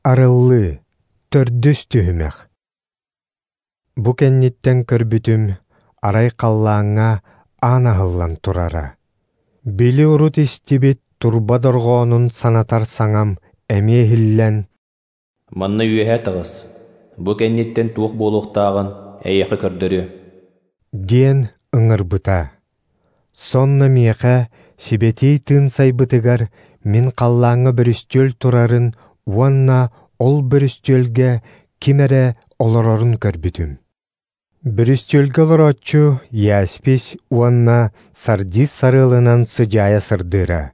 Арыллыы, төрдүс түһүмэх. Бу кэнниттэн көрбүтүм, арай халлааҥҥа аан аһыллан турара. Били урут истибит турба дорҕоонун санатар саҥам эмиэ иһиллэн, «Манна үөһэ таҕыс, бу кэнниттэн туох буолуохтааҕын эйиэхэ көрдөрүөм» диэн ыҥырбыта. Сонно миэхэ Сибэтиэй Тыын сайбытыгар мин халлааҥҥа бөрүстүөл турарын уонна ол бөрүстүөлгэ ким эрэ олорорун көрбүтүм. Бүрүстүөлгэ олорооччу яспис уонна сардиз сарыалынан сыдьаайа сырдыыра.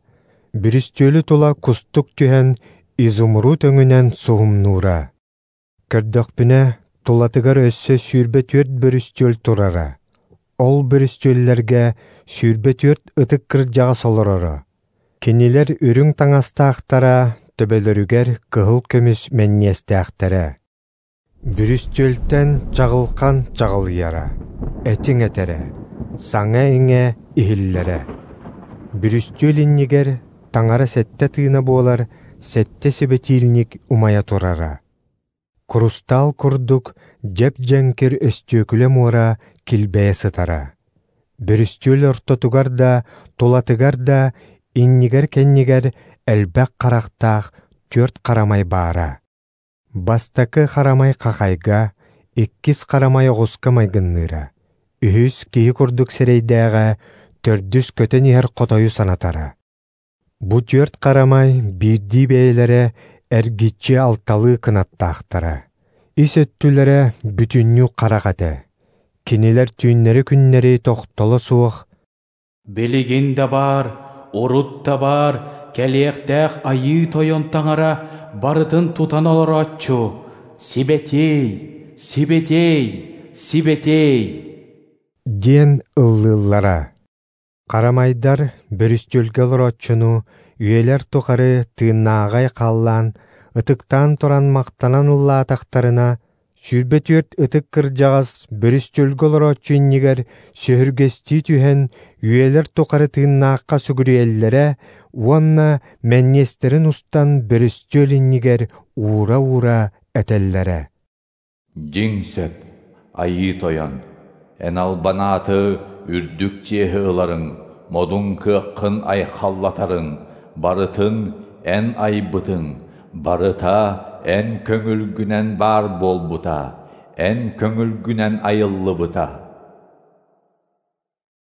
Бүрүстүөлү тула кустук түһэн изумруд өҥүнэн суһумнуура. Көрдөхпүнэ, тулатыгар өссө 24 бүрүстүөл турара. Ол бүрүстүөллэргэ 24 ытык кырдьаҕас олороро. Кинилэр үрүҥ таҥастаахтара, төбөлөрүгэр кыһыл көмүс мэнньиэстээхтэрэ. Бүрүстүөлтэн чаҕылхан чаҕылыйара, этиҥ этэрэ, саҥа-иҥэ иһиллэрэ. Бүрүстүөл иннигэр таҥара сэттэ тыына буолар сэттэ сибэтиилник умайа турара. Курустаал курдук дьэп-дьэҥкир өстүөкүлэ муора килбэйэ сытара. Бүрүстүөл ортотугар да, тулатыгар да, иннигэр-кэннигэр элбэх харахтаах түөрт харамай баара. Бастакы харамай хахайга, иккис харамай оҕуска майгынныыра, үһүс киһи курдук сирэйдээҕэ, төрдүс көтөн иһэр хотойу санатара. Бу түөрт харамай биирдии бэйэлэрэ эргиччи алталыы кынаттаахтара. Ис өттүлэрэ бүтүннүү харах этэ. Кинилэр түүннэри-күннэри тохтоло суох «Билигин да баар, урут да баар, кэлиэхтээх Айыы Тойон Таҥара барытын тутан олорооччу, Сибэтиэй, Сибэтиэй, Сибэтиэй!» диэн ыллыыллара. Харамайдар бүрүстүөлгэ олорооччуну үйэлэр тухары тыыннааҕай халлаан, ытыктаан туран махтанан ыллаатахтарына, 24 ытык кырдьаҕас бүрүстүөлгэ олорооччу иннигэр сөһүргэстии түһэн үйэлэр тухары тыыннаахха сүгүрүйэллэрэ уонна мэнньиэстэрин устан бүрүстүөл иннигэр уура-уура этэллэрэ. Дьиҥ сөп, Айыы Тойон, эн албан ааты үрдүк чиэһи ыларыҥ, модун кыаххын айхаллатарыҥ, барытын эн айбытыҥ, барыта эн көҥүлгүнэн баар буолбута, эн көҥүлгүнэн айыллыбыта.